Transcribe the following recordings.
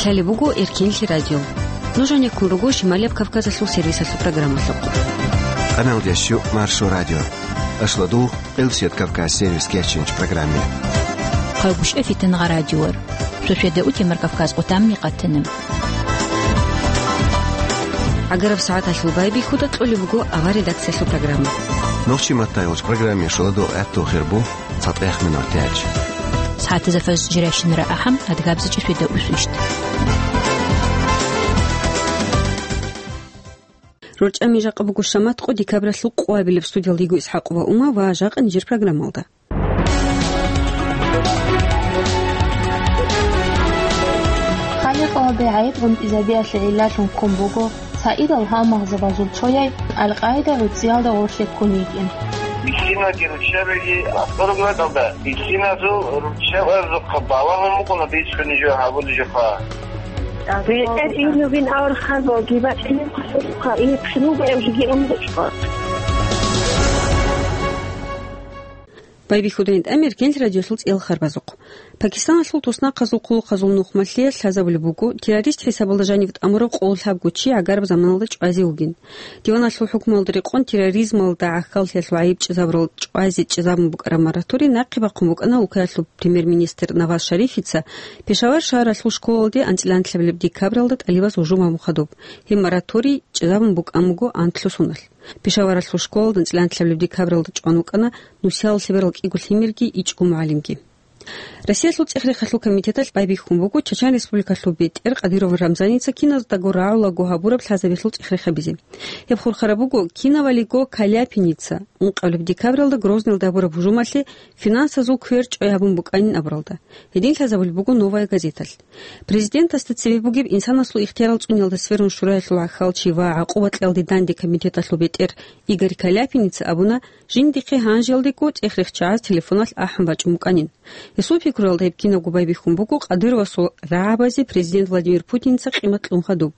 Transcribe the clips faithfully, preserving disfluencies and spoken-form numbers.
Талеб буго Эркенлъи радио. Нуж гьанеккун руго Шималияб Кавказалъул сервисалъул программалъухъ. Къаналдящу Маршо радио. Ашладу Къилсият Кавказ сервис керчинч программе. Хъалгушев Фитнагъа радиор. Шошеда утемар Кавказ къутамни къатанам. Агараб сагӀаталъул байбихьуда кьолеб буго авар редакциялъул программа. Нохчи маттайолч программе шоладо гӀатту хирбу. ЦатӀех минутач. СагӀатазда фаз жирайщинара ахӀам, адгабзачӀи шведа усвищт. РорчӀами жакъа буго шамат къо декабралъул къуабилеб студиялда йиго ИсхӀакъ ва Ума ва жакъа нижер программалда. Халикъалде гӀайиб гӀунтӀизабиялъе гӀиллалъун ккун буго Саидал гьалмагъзабазул цояй Аль-Къаида гӀуцӀиялда гъорлъе ккун йикӀин. Бихьинаги руччабиги авторградалда, бихьиназул руччабазухъа балагьун букӀуна бицунеб жо гьабулеб жоха. БетӀер инлугин авархарбалги бачӀинеб хъалухъа, ихъинуга эвжиги умручӀо. Байбихьудайин тӀамир кенлъ радиолъул цӀел харбазухъ. Пакистаналъул туснахъазул хъулухъазул нухмалъиялъ лъазабулеб буго, террорист хӀисабалда жанив тӀамурав къоло лъабго чи гӀагараб заманалда чӀвазе вугин. Диваналъул хӀукмуялда рекъон терроризмалда гӀахьаллъиялъул гӀайиб чӀезабурал чӀвазе чӀезабун букӀараб мораторий нахъе бахъун букӀана Улкаялъул премьер-министр Наваз Шарифица Пешавар шагьаралъул школалде анцӀила анлъабилеб декабралда тӀалибаз гьужум гьабун хадуб. Гьеб мораторий чӀезабун букӀан буго анлъго соналъ. Пешаваралъул школалда анцӀила анлъабилеб декабралда чӀван вукӀана нусиялда лъеберал кӀиго лъимерги ичӀго мугӀалимги. Россиялъул цӀех-рехалъул комитеталъ байбихьун буго Чачан Республикалъул бетӀер Кадыров Рамзаница киназдаго рагӀулаго гьабураб лъазабиялъул цӀех-рехабизе. Гьеб хурхараб буго кинавалиго Каляпиница ункъабилеб декабралда Грозныйалда гьабураб гьужумалъе финансазул квер чӀвай гьабун букӀанин абуралда. Гьедин лъазабулеб буго «Новая газеталъ». Президентасда цебе бугеб инсанасул ихтиярал цӀуниялда сверун шураялъул гӀахьалчи ва гӀакъуба кьеялде данде комитеталъул бетӀер Игорь Каляпиница абуна, жиндихъе гьанжеялдего цӀех-рехчагӀаз телефоналъ ахӀун бачӀун букӀанин. Гьесул пикруялда гьеб кинабго байбихьун буго Кадыровасул рагӀабазе президент Владимир Путиница къимат кьун хадуб.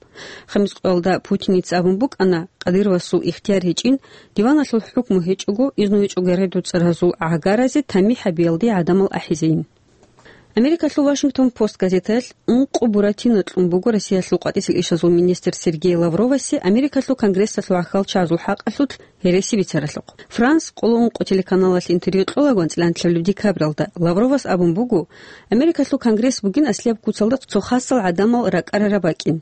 Хамис къоялда Путиница абун букӀана, Кадыровасул ихтияр гьечӀин, диваналъул хӀукму гьечӀого, изну гьечӀого гӀердуцӀаразул гӀагаразе тамихӀ гьабиялде гӀадамал ахӀизейин. Америкалъул Вашингтон Пост газетаялъ ункъо буратино кьун буго Россиялъул къватӀисел ишазул министр Сергей Лавровасе Америкалъул Конгрессалъул гӀахьалчагӀазул хӀакъалъулъ гьереси бицаралъухъ. Франс къоло ункъо телеканалалъ интервью кьолаго анцӀила анлъабилеб декабралда Лавровас абун буго, Америкалъул Конгресс бугин аслияб куцалда цо хасал гӀадамал ракӀарараб бакӀин.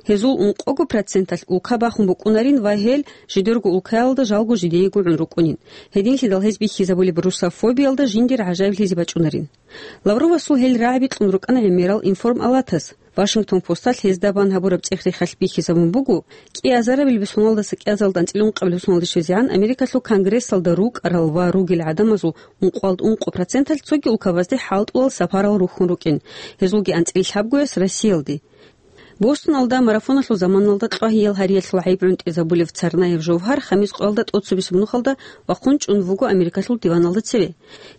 Гьезул ункъого проценталъ улка бахун букӀунарин ва гьел жидерго улкаялда жалго жидеего гӀун рукӀунин. Гьединлъидал гьез бихьизабулеб русофобиялда жиндир гӀажаиблъизе бачӀунарин. Лавровасул гьел рагӀаби кьун рукӀана гӀемерал информалатас. Вашингтон Посталъ гьезда бан гьабураб цӀех-рехалъ бихьизабун буго, кӀиазарабилеб соналдаса кӀиазалда анцӀила ункъабилеб соналде щвезегӀан Америкалъул Конгрессалда рукӀарал ва ругел гӀадамазул ункъоялда ункъо проценталъ цоги улкабазде хӀалтӀулал сапарал рухьун рукӀин, гьезулги анцӀила лъабгояс Россиялде. Бостоналда марафоналъул заманалда кьвагьиял гьариялъул гӀайиб гӀунтӀизабулев Царнаев Жовгьар хамис къоялда тӀоцебесеб нухалда вахъун чӀун вуго Америкалъул диваналда цеве.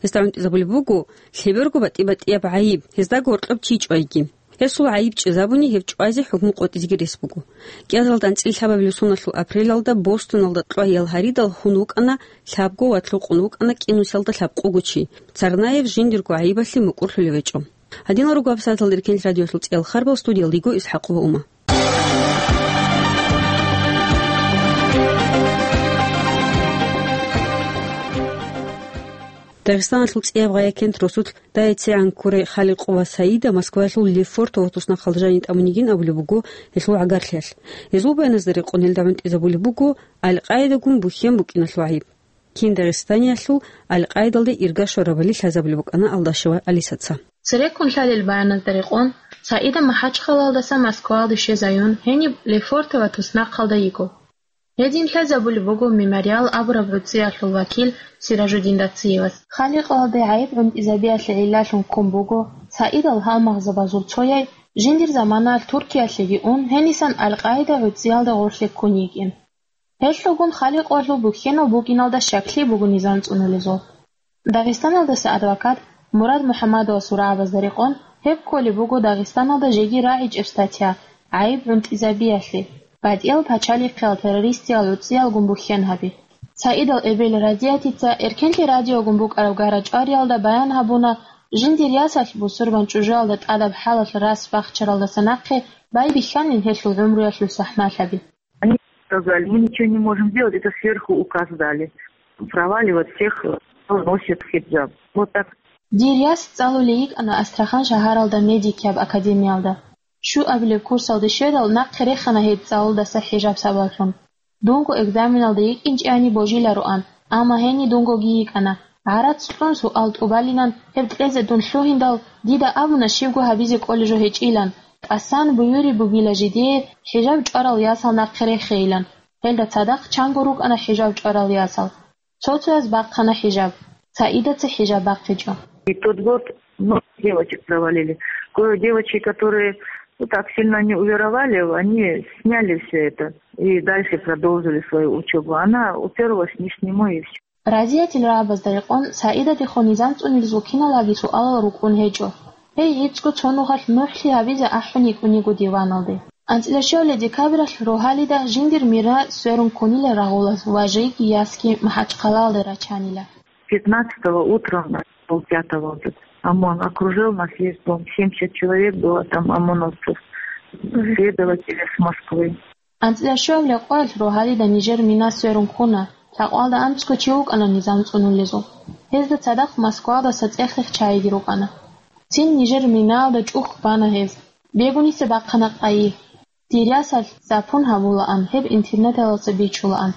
Гьесда гӀунтӀизабулеб буго лъеберго батӀи-батӀияб гӀайиб, гьездаго гьоркьоб чи чӀвайги. Гьесул гӀайиб чӀезабуни гьев чӀвазе хӀукму къотӀизеги рес буго. КӀиазалда анцӀила лъабабилеб соналъул апрелалда Бостоналда кьвагьиял гьаридал хун вукӀана лъабго ва лъукъун вукӀана кӀинусиялда лъабкъого чи, Царнаев жиндирго гӀайибалъе мукӀурлъулев гьечӀо. Гьадинал руго гьабсагӀаталда Эркенлъ радиолъул цӀиял харбал, студиялда йиго ИсхӀакъ ва Ума. Дагъистаналъул цӀияб гъай-якент росулъ дайцегӀан ккурай Халикъ ва Саида Москваялъул Лефортово туснахъалда жаниб тӀамун йигин абулеб буго гьелъул гӀагарлъиялъ. Гьезул баяназда рекъон гьелда гӀунтӀизабулеб буго Аль-Къаидагун бухьен букӀиналъул гӀайиб. Кин Дагъистаниялъул Аль-Къаидалде ирга щварабали лъазабулеб букӀана Алдашева Алисаца. Цереккун лъалел баяназда рекъон, Саида МахӀачхъалаялдаса Москваялде щвезайун, гьениб Лефортово туснахъалда йиго. Гьедин лъазабулеб буго «Мемориал» абураб гӀуцӀиялъул вакил Сиражудин Дациевас. Халикъалде гӀайиб гӀунтӀизабиялъе гӀиллалъун ккун буго Саидал гьалмагъзабазул цояй жиндир заманаялъ Туркиялъеги ун, гьенисан Аль-Къаида гӀуцӀиялда гъорлъе ккун йикӀин. Гьелъулгун Халикъалъул бухьенал букӀиналда щаклъи буго низам цӀунулезул. Дагъистаналдаса адвокат Мурад МухӀаммадовасул рагӀабазда рекъон, гьеб кколеб буго Дагъистаналда жеги рагӀичӀеб статья, гӀайиб гӀунтӀизабиялъе, батӀиял пачалихъиял террористиял гӀуцӀиялгун бухьен гьаби. Саидал эбел Радиятица Эркенлъи радиогун букӀараб гара-чӀвариялда баян гьабуна Жиндир ясалъ бусурбан чӀужуялда тӀадаб хӀалалъ рас бахчаралдаса нахъе байбихьанин гьелъул гӀумруялъул сахӀмалъаби. Они сказали: «Мы ничего не можем делать, это сверху указ дали. Проваливать всех, кто носит хиджаб». Вот так. Дир яс цӀалулей йикӀана Астрахань шагьаралда медикияб академиялда. Щуабилеб курсалде щведал, нахъе рехана гьеб цӀалулдаса хӀижаб сабаблъун. Дунго экзаменалда йикӀинчӀеани божилароан, амма гьениб дунгоги йикӀана. ГӀарац кьун суал тӀубалилан, гьеб кьезе дун лъугьиндал, дида абуна щибго гьабизе кӀолеб жо гьечӀилан, тӀасан буюреб бугила жидее хӀижаб чӀварал ясал нахъе рехейилан. Гьелда цадахъ чанго рукӀана хӀижаб чӀварал ясал. Цо-цояз бахъана хӀижаб, Саидаца хӀижаб бахъичӀо. И тот год много девочек провалили. Кое девочки, которые, ну, так сильно не уверовали, они сняли всё это и дальше продолжили свою учёбу. Она уперлась ни с нему и всё. Разиятил рагӀабазда рекъон, Саидадехун низам цӀунилзул киналаги суалал рукӀун гьечӀо. Гьей гӀицӀго цо нухалъ нухӀлъи гьабизе ахӀун йикӀун йиго диваналде. АнцӀила щуабилеб декабралъ рогьалида жиндир мира сверун ккунила рагъулаз ва жеги ясги МахӀачхъалаялда рачанила. Пятнадцатого утром, полпятого вот этот ОМОН окружил нас весь дом. Семьдесят человек было там ОМОНовцев. Следователи с Москвы. АнцӀила щуабилеб къоялъ рогьалида нижер мина сверун ккуна, лъакъвалда анцӀго чи вукӀана низам цӀунулезул. Гьезда цадахъ Москвадаса цӀех-рех чайиги рукӀана. Цин нижер минаялда чӀухӀ бана гьез. Бегуниса бахъана къайи. Дир ясалъ запун гьабулаан, гьеб интернеталдаса бичулаан.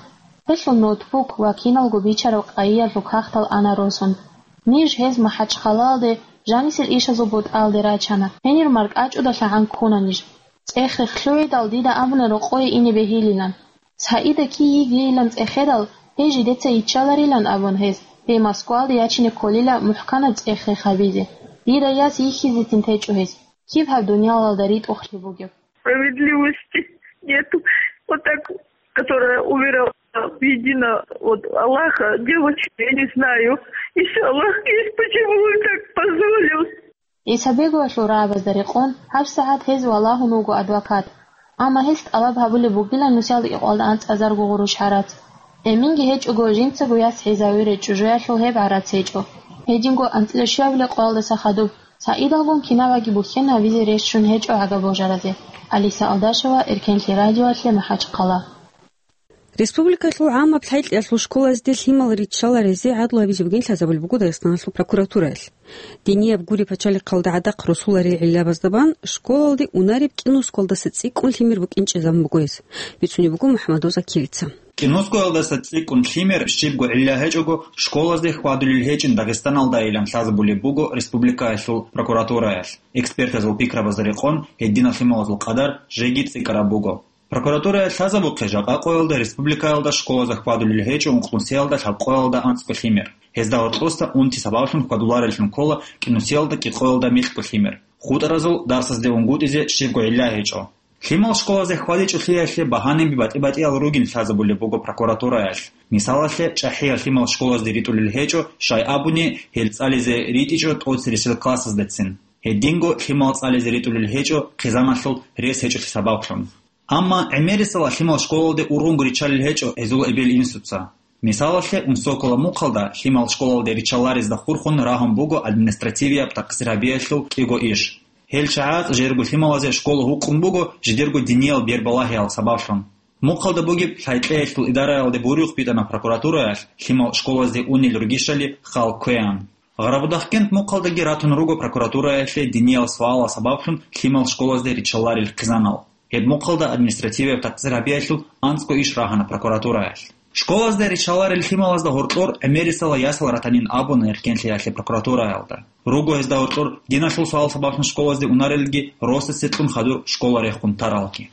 Гьелъул ноутбук ва киналго бичараб къайиялъул кагътал ана росун. Ниж гьез МахӀачхъалаялде жанисел ишазул бутӀаялде рачана. Гьенир маркӀачӀудалъагӀан ккуна ниж. ЦӀех-рех лъугӀидал дида абуна рокъое ине бегьилилан. Саида кий йигейилан цӀехедал, гьей жидеца йиччаларилан абун гьез, гьей Москваялде ячине кколила мухӀканаб цӀех-рех гьабизе. Дида яс йихьизецин течӀо гьез. Киб гьаб дуниялалда ритӀухълъи бугеб? Справедливости нету. Вот так, которая уверовала в единого вот Аллаха, девочки, я не знаю. Если Аллах есть, почему Он так позволил? ГӀисабеговалъул рагӀабазда рекъон, гьабсагӀат гьез валагьун вуго адвокат. Амма гьес тӀалаб гьабулеб бугила нусиялда кӀикъоялда анцӀазарго гъурущ гӀарац. Эменги гьечӀого, жинцаго яс хӀизавире чӀужуялъул гьеб гӀарац гьечӀо. Гьединго анцӀила щуабилеб къоялдаса хадуб Саидалгун кинабаги бухьен гьабизе рещтӀун гьечӀо гӀага божаразе. Алиса Алдашева, Эркенлъи радиоялъе, МахӀачхъала. Республикалъул гӀаммаб лъайкьиялъул школазде лъимал риччаларезе гӀадлу гьабизе бугин лъазабулеб буго Дагъистаналъул прокуратураялъ. Динияб гури пачалихъалда гӀадахъ росуларел гӀиллабаздабан школалде унареб кӀинусголдаса цӀикӀкӀун лъимер букӀинчӀезабун буго гьес, бицунеб буго МухӀаммадов Закирица. КӀинусголдаса цӀикӀкӀун лъимер щибго гӀилла гьечӀого школазде хьвадулел гьечӀин Дагъистаналдайилан лъазабулеб буго республикаялъул прокуратураялъ. Экспертазул пикрабазда рекъон, гьединал лъималазул къадар жеги цӀикӀкӀараб буго. Прокуратурая лъазабухъе жакъа къоялда республикаялда школазда хьвадулел гьечӀо ункънусиялда лъабкъоялда анцӀго лъимер. Гьезда гьоркьоса унти сабаблъун хьвадулареллъун ккола кӀинусиялда кӀикъоялда микьго лъимер. ХутӀаразул дарсазде унгутӀизе щибго гӀилла гьечӀо. Лъимал школазде хьвадичӀолъиялъе багьанаби батӀи-батӀиял ругин лъазабулеб буго прокуратураялъ. Мисалалъе, чӀахӀиял лъимал школазде ритӀулел гьечӀо, щай абуни, гьел цӀализе ритӀичӀо тӀоцересел классаздацин. Гьединго лъимал цӀализе ритӀулел гьечӀо хъизаналъул рес гьечӀолъи сабаблъун. Амма гӀемерисела лъимал школалде ургъунго риччалел гьечӀо гьезул эбел-инсуца. Мисалалъе, Унсокола мухъалда лъимал школалде риччаларезда хурхун рагьун буго административияб такъсир гьабиялъул кӀиго иш. Гьел чагӀаз жерго лъималазе школа гьукъун буго жидерго диниял бербалагьиял сабаблъун. Мухъалда бугеб лъай-кьеялъул идараялде буюрухъ битӀана прокуратураялъ, лъимал школазде унел ругищали хал кквеян. Гъарабудахъкент мухъалдаги ратун руго прокуратураялъе диниял суалал сабаблъун лъимал школазде риччаларел хъизанал. Гьеб мухъалда административияб такъсир гьабиялъул анцӀго иш рагьана прокуратураялъ. Школазде риччаларел лъималазда гьоркьор гӀемерисела ясал ратанин абуна Эркенлъиялъе прокуратураялда. Руго гьезда гьоркьор диналъул суал сабаблъун школазде унарелги росасе кьун хадур школа рехун таралги.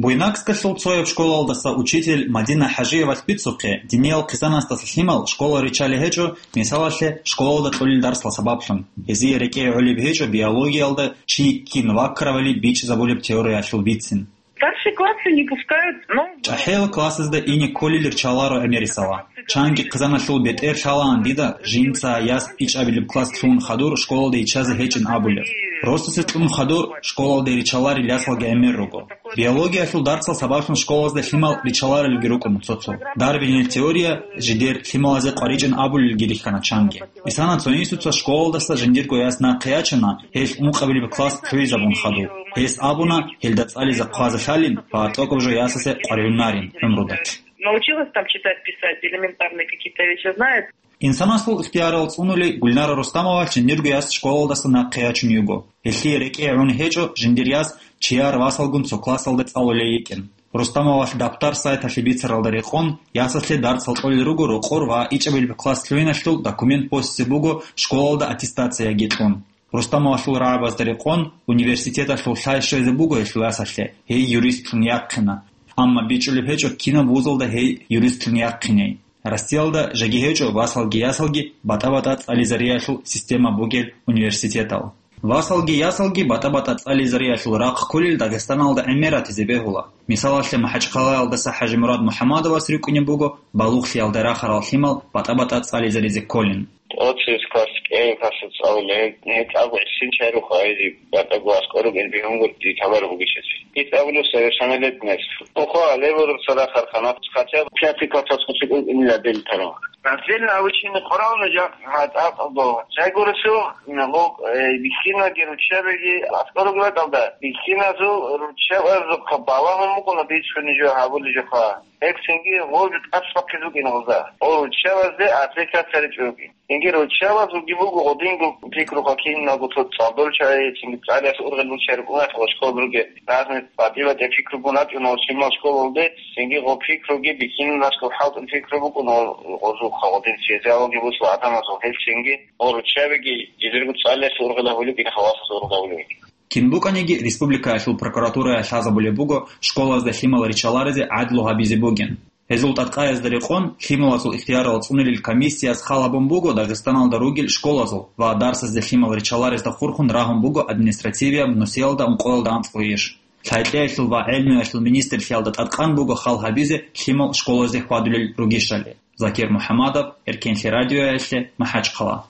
Буйнакскалъул цояб школалдаса учитель Мадина ХӀажиевалъ бицухъе, диниял хъизанасдаса лъимал школа риччалел гьечӀо, мисалалъе, школалда кьолел дарсал сабаблъун, гьезие рекӀее гӀолеб гьечӀо биологиялда чи кин ваккаравали бичӀчӀизабулеб теориялъул бицин. Старший классы не пускают, ну, ЧӀахӀиял классазда ине кколел риччаларо гӀемерисела. Чанги хъизаналъул бетӀер лъалаан дида, жинца яс ичӀабилеб класс лъугӀун хадур школалде иччазе гьечӀин абулеб. Росасе кьун хадур школалде риччаларел ясалги гӀемер руго. Биологиялъул дарсал сабаблъун школазда лъимал ричаларилги рукӀуна цо-цо. Дарвинил теория жидер лъималазе къваричӀин абулелги рихьана чанги. Исана цо инсуца школалдаса жиндирго яс нахъе ячана, гьелъ ункъабилеб класс лъугӀизабун хадуб. Гьес абуна, гьелда цӀализе хъвазе лъалин ва тӀокӀаб жо ясасе къваригӀунарин гӀумруда. Научилась там читать, писать, элементарные какие-то вещи знает. Инсанасул ихтиярал цӀунулей Гульнара Рустамовалъ жиндирго яс школалдаса нахъе ячун йиго. Гьелъие рекӀее гӀун гьечӀо жиндир яс чияр васалгун цо классалда цӀалулей йикӀин. Рустамовалъ Даптар сайталъе бицаралда рекъон, ясалъе дарсал кьолел руго рокъор ва ичӀабилеб класс лъугӀиналъул документ босизе буго школалда аттестацияги кьун. Рустамовалъул рагӀабазда рекъон, университеталъул лъай щвезе буго гьелъул ясалъе, гьей юристлъун яхъина. Амма бичӀчӀулеб гьечӀо кинаб вузалда гьей юристлъун яхъиней. Россиялда жеги гьечӀо васалги ясалги батӀа-батӀа цӀализариялъул система бугел университетал. Васалги ясалги батӀа-батӀа цӀализариялъул рахъ кколел Дагъистаналда гӀемер ратизе бегьула. Мисалалъе, МахӀачхъалаялдаса ХӀажимурад МухӀаммадовас рикӀкӀунеб буго балугълъиялда рахарал лъимал батӀа-батӀа цӀализаризе кколин. Оцис класс кӀиабилеб классалда цӀалулел, гьеб тӀаде гӀисин чарухъ гьайзи батӀаго аскӀор ругел бегьунгутӀи товар бугищ гьес. Ит абулев совершеннолетность. Туху гьале гуро цо рахархъана, хотя бы пятый класс аскӀор цӀикӀкӀун ила дел тарав. Раздельно обучение къорална жа-, гьатӀа къалдо. Жай гуресу, ло-, э, бихьинаги руччабиги аскӀор ругел бакӀалда, бихьиназул руччабазухъа балагьун букӀуна бицуни жо гьабулел жоха. Гьеб цинги гъов жо тӀасбахъизе букӀина гъоза. Гъов руччабазде аппликация ричӀо ругин. Цинги руччабазулги буго гъодинго пикруха киналго цо цӀалдолчагӀи, цинги цӀалиялъ ургъел руччари рукӀунатӀ ва школалда ругел разный батӀи-батӀи пикругун рачӀуна ва щимал школалде, цинги гъо пикруги бихьинал аскӀоб хӀалтӀул пикру букӀун ва гъозухъа гъодин связалги бусла гӀадамазул гьел цинги гъо руччабиги жидерго цӀалиялъ ургъел гьавулеб кӀиха васас ургъавулеб. Кин букӀаниги, республикаялъул прокуратурая лъазабулеб буго школазда лъимал ричаларизе гӀадлу гьабизе бугин. Гьезул тӀадкъаязда рекъон, лъималазул ихтиярал цӀунулел комиссияс хал гьабун буго Дагъистаналда ругел школазул ва дарсазде лъимал ричаларезда хурхун рагьун буго административияб нусиялда ункъоялда анцӀго иш. Лъай-кьеялъул ва гӀелмуялъул министрлъиялда тӀадкъан буго хал гьабизе лъимал школазде хьвадулел ругищали. Закир МухӀаммадов, Эркенлъи радиоялъе, МахӀачхъала.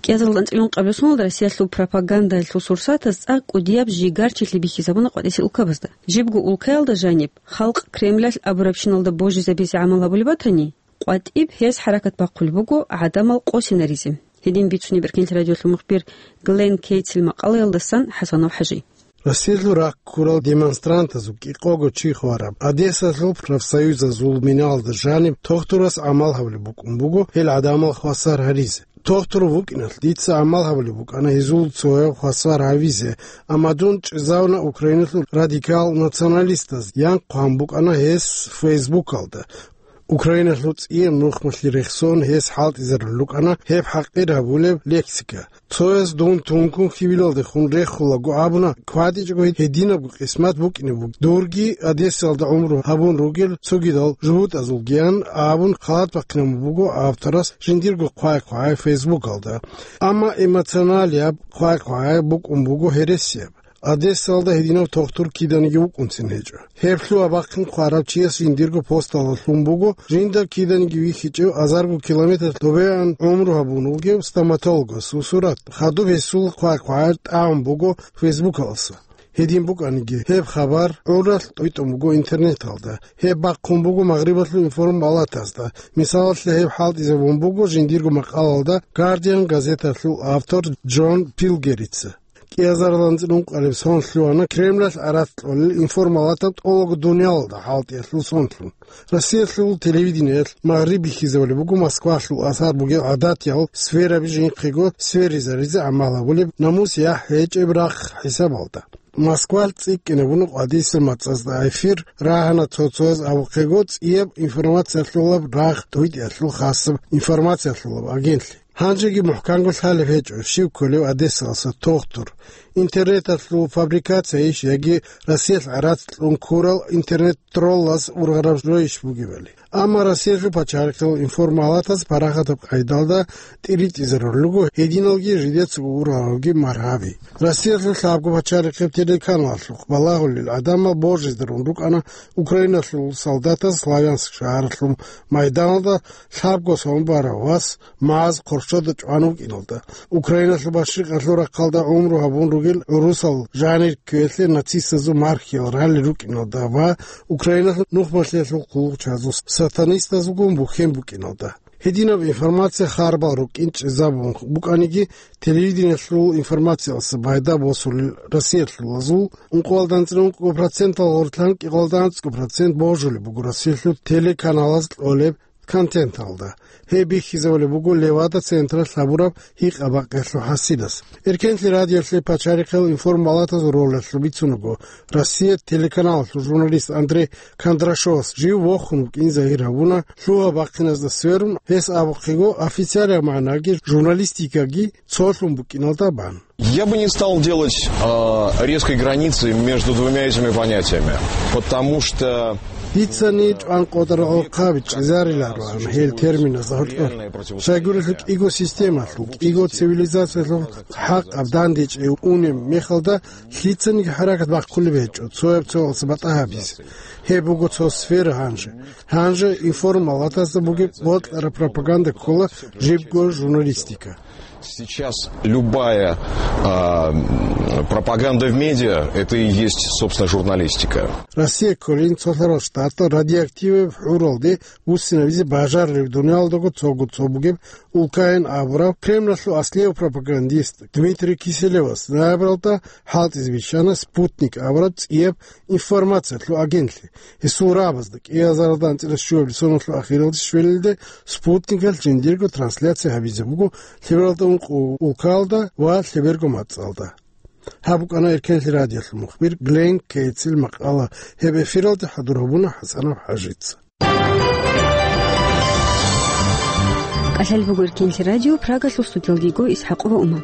КӀиазаралда анцӀила ункъабилеб соналда Россиялъул пропагандаялъул сурсатаз цӀакъ кӀудияб жигарчилъи бихьизабуна къватӀисел улкабазда. Жибго улкаялда жаниб, халкъ Кремлалъ абурабщиналда божизабизе гӀамал гьабулеб батани, къватӀиб гьез хӀаракат бахъулеб буго гӀадамал къосинаризе. Гьедин бицунеб Эркенлъи радиоялъул мухбир Глен Кейтсил макъалаялдасан ХӀасанов ХӀажи. Россиялъул рахъ ккурал демонстрантазул кӀикъого чи хвараб Одессалъул профсоюзазул минаялда жаниб тохтурас гӀамал гьабулеб букӀун буго гьел гӀадамал хвасар гьаризе. Тохтур вукӀиналъ дица гӀамал гьабулеб букӀана гьезул цояв хвасар гьавизе, амма дун чӀезавуна Украиналъул радикал националистаз, янхъ гьабун букӀана гьес Фейсбукалда. Украиналъул цӀияб нухмалъе рехсон гьес хӀалтӀизарулел рукӀана гьеб хӀакъир гьабулеб лексика. Цояс дун тункун хьибилалдехун рехулаго абуна, кватӀичӀого гьединабго къисмат букӀине буго. Дурги Одессалда гӀумру гьабун ругел цогидал жугьутӀазулгиян абун халат бахъинабун буго авторас жиндирго хъвай-хъвай Фейсбукалда. Амма эмоционалияб хъвай-хъвай букӀун буго гьересияб. Одессалда гьединав тохтур киданиги вукӀунцин гьечӀо. Гьеб лъугьа-бахъин хъварав чияс жиндирго посталда лъун буго, жинда киданиги вихьичӀев азарго километр добеян гӀумру гьабун вугев стоматологасул сурат. Хадуб гьесул хъвай-хъвай тӀагӀун буго Фейсбукаласа. Гьедин букӀаниги, гьеб хабар гӀуралъ тӀойтӀун буго интернеталда. Гьеб бахъун буго Магърибалъул информалатазда. Мисалалъе, гьеб хӀалтӀизабун буго жиндирго макъалалда Guardian газеталъул автор Джон Пилгерица. КӀиазаралда анцӀила ункъабилеб сон лъугьана Кремлалъ гӀарац кьолел информалатаб тӀолого дуниялалда хӀалтӀиялъул сонлъун. Россиялъул телевидениялъ Магъриб бихьизабулеб буго Москвалъул асар бугел гӀадатиял сфераби жинхъего сверизаризе гӀамал гьабулеб намус-яхӀ гьечӀеб рахъ хӀисабалда. Москвалъ цӀикӀкӀинабуна къватӀисел мацӀазда эфир, рагьана цо-цояз абухъего цӀияб информациялъулаб рагъ тӀойтӀиялъул хасаб информациялъулаб агентлъи. Гьанжеги мухӀканго лъалеб гьечӀо, щив кколев Одессаласа тохтур. Интернеталъул фабрикациябищ яги Россиялъ гӀарац кьун ккурал интернет-троллаз ургъараб жоищ бугебали. Амма Россиялъул пачалихъал информалатаз парахатаб къайдалда тӀиритӀизарулел руго гьединалги жидецаго уралалги маргьаби. Россиялъул лъабго пачалихъеб телеканалалъухъ балагьулел гӀадамал божизарун рукӀана Украиналъул солдатаз Славянск шагьаралъул майданалда лъабго самобарав вас МАЗ хъоршода чӀван вукӀиналда, Украиналъул машрикъалъул рахъалда гӀумру гьабун ругел гӀурусал жанир кквелъе нацистазул мархиял ралли рукӀиналда ва Украиналъул нухмалъиялъул хъулухъчазул сатанистазулгун бухьен букӀиналда. Гьединаб информация харбал рукӀин чӀезабун букӀаниги, телевидениялъул информациялъа пайда босулел россиялъулазул ункъоялда анцӀила ункъго процентал гъорлъ кӀикъоялда анцӀго процент божулеб буго Россиялъул телеканалаз кьолеб контенталда. Гьеб бихьизабулеб буго Левада централъ гьабураб гьикъа-бакъиялъул хӀасилас. Эркенлъи радиоялъе пачалихъал информалатазул ролалъул бицун буго Россия телеканалалъул журналист Андрей Кондрашовас жив вохун вукӀин загьир гьабуна, лъугьа-бахъиназда сверун, гьес абухъего, официалияб магӀнаги журналистикаги цолъун букӀиналда бан. Я бы не стал делать, а, резкой границы между двумя этими понятиями, потому что Дицани чӀван къотӀарал хъаби чӀезарилароан гьел терминазда гьоркьор. Щайгурелъул кӀиго системалъул, кӀиго цивилизациялъул хӀакъаб дандечӀей унеб мехалда лъицаниги хӀаракат бахъулеб гьечӀо цояб цоялъа батӀа гьабизе. Гьеб буго цо сфера гьанже. Гьанже информалатазда бугеб бокьараб пропаганда ккола жибго журналистика. Сейчас любая, а, м, пропаганда в медиа, это и есть, собственно, журналистика. Россия кколин цо лъарал штатал радиоактиваб хӀуралде буссинабизе бажарулеб дуниялалдаго цого цо бугеб улкаян абураб Кремлалъул аслияб пропагандист Дмитрий Киселевас ноябралда хӀалтӀизе бищана «Спутник» абураб цӀияб информациялъул агентлъи. Гьесул рагӀабазда кӀиазаралда анцӀила щуабилеб соналъул ахиралде щвелелде «Спутникалъ» жиндирго трансляция гьабизе буго лъебералда ункъо улкаялда ва лъеберго мацӀалда. Гьаб букӀана Эркенлъи радиоялъул мухбир Глен Кейтсил макъала. Гьеб эфиралде хӀадур гьабуна ХӀасанов ХӀажица. КӀалъалеб буго Эркенлъи радио, Прагалъул студиялда йиго ИсхӀакъова Ума.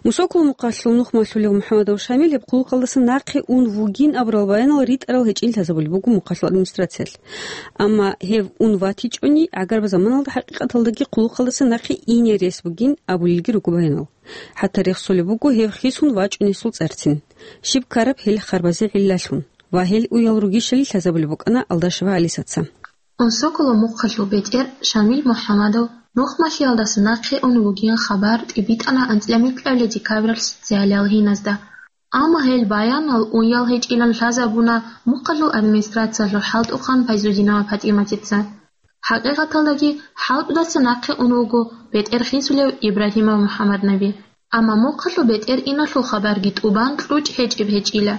Мусоколо мухъалъул нухмалъулев МухӀамадов Шамил гьеб хъулухъалдаса нахъе ун вугин абурал баянал ритӀарал гьечӀин лъазабулеб буго мухъалъул администрациялъ. Амма гьев ун ватичӀони, гӀагарбаз заманалда хӀакъикъаталдаги хъулухъалдаса нахъе ине рес бугин абулелги руго баянал. ХӀатта рехсолеб буго гьев хисун вачӀунесул цӀарцин, щиб ккараб гьел харбазе гӀиллалъун ва гьел уял ругищали лъазабулеб букӀана Алдашева Алисаца. Унсоколо мухъалъул бетӀер Шамил МухӀамадов нухмалъиялдаса нахъе ун вугин хабар тӀибитӀана анцӀила микьабилеб декабралъ социалиял гьиназда. Амма гьел баянал уял гьечӀилан лъазабуна мухъалъул администрациялъул хӀалтӀухъан Файзудинова ПатӀиматица. ХӀакъикъаталдаги, хӀалтӀудаса нахъе ун вуго бетӀер хисулев Ибрагьимов МухӀаммаднаби. Амма мухъалъул бетӀер иналъул хабарги тӀубан кьучӀ гьечӀеб гьечӀила.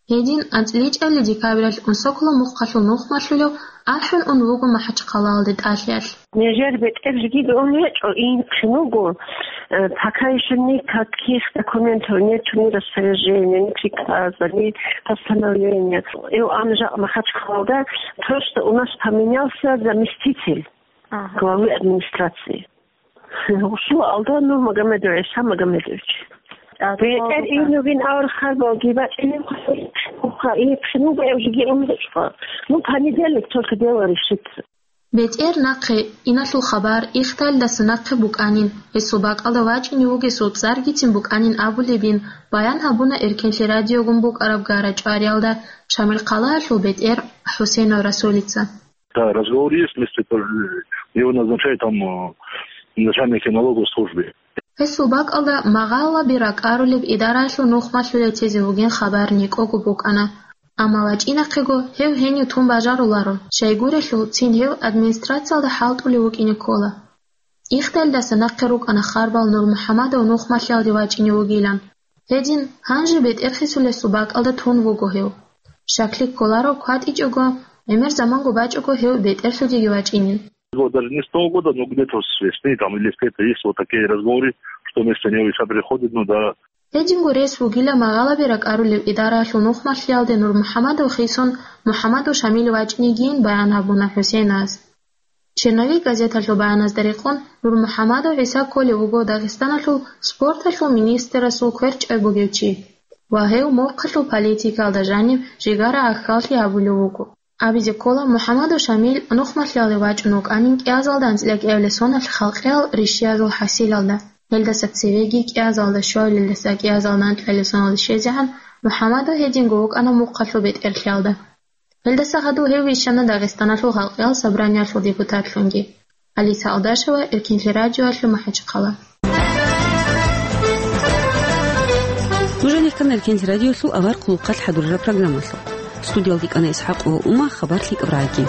Гьедин анцӀила чӀалалъ декабралъ Унсоколо мухъалъул нухмалъулев ахӀун ун вуго МахӀачхъалаялде тӀалъиялъ. Нижер бетӀер жиги бегьун гьечӀо, инхъин вуго. Э, пока ещё никаких документов нету, ни распоряжения, ни приказа, ни постановления. И ам жакъ Махачкалада просто у нас поменялся заместитель Ага. главы администрации. Гъусул алда Нурмагомедов ГӀиса Магомедович. А, БетӀер то ин вугин авар харбалги бачӀинеб хъа, и хъинуга эвжиги умручӀха. Ну, понедельник только дело решится. БетӀер нахъе иналъул хабар ихталдаса нахъе букӀанин, гьесул бакӀалда вачӀине вугесул цӀаргицин букӀанин абулебин баян гьабуна Эркенлъи радиогун букӀараб гара-чӀвариялда Шамилхъалаялъул бетӀер ХӀусейнов Расулица. Да, разговор есть, если п-, его назначают там, э, начальники налоговой службы. Гьесул бакӀалда магъалаби ракӀарулеб идараялъул нухмалъулев тезе вугин хабар некӀого букӀана. Амма вачӀинахъего гьев гьенив тун бажаруларо, щайгурелъул цин гьев администрациялда хӀалтӀулев вукӀине ккола. Ихталдаса нахъе рукӀана харбал НурмухӀамадов нухмалъиялде вачӀине вугилан. Гьедин, гьанже бетӀер хисулесул бакӀалда тун вуго гьев. Щаклъи кколаро кватӀичӀого, гӀемер заманго бачӀого гьев бетӀерлъудеги вачӀинин. Вот даже не с Нового года, но где-то с весны там или с лета есть вот такие разговоры, что вместо него ИГИЛ приходит, ну да. Гьединго рес вугила магъалаби ракӀарулев идараялъул нухмалъиялде НурмухӀамадов хисун МухӀамадов Шамил вачӀинегийин баян гьабуна ХӀусейнас. «Черновик» газеталъул баяназда рекъон, НурмухӀамадов ГӀиса кколев вуго Дагъистаналъул спорталъул министрасул кверчӀай бугев чи ва гьев мухъалъул политикаялда жаниб жигара ахьаллъи гьабулев вуго. Абизе ккола, МухӀаммадов Шамил нухмалъиялде вачӀун вукӀанин кӀиазалда анцӀила кӀиабилеб соналъ халкъиял ришшиязул хӀасилалда. Гьелдаса цевеги кӀиазалда щуабилелдаса кӀиазалда анкьабилеб соналде щвезегӀан МухӀаммадов гьединго вукӀана мухъалъул бетӀерлъиялда. Гьелдаса гьадув гьев вищана Дагъистаналъул халкъиял собраниялъул депутатлъунги. Алиса Алдашева, Эркинлъи радиоялъул МахӀачхъала. Нуж гьанихъан Эркинлъи радиоялъул авар хъулухъалъ хӀадурараб программалъул. Студиялда кӀана ИсхӀакъова Ума, хабар лъикӀаб рагӀаги.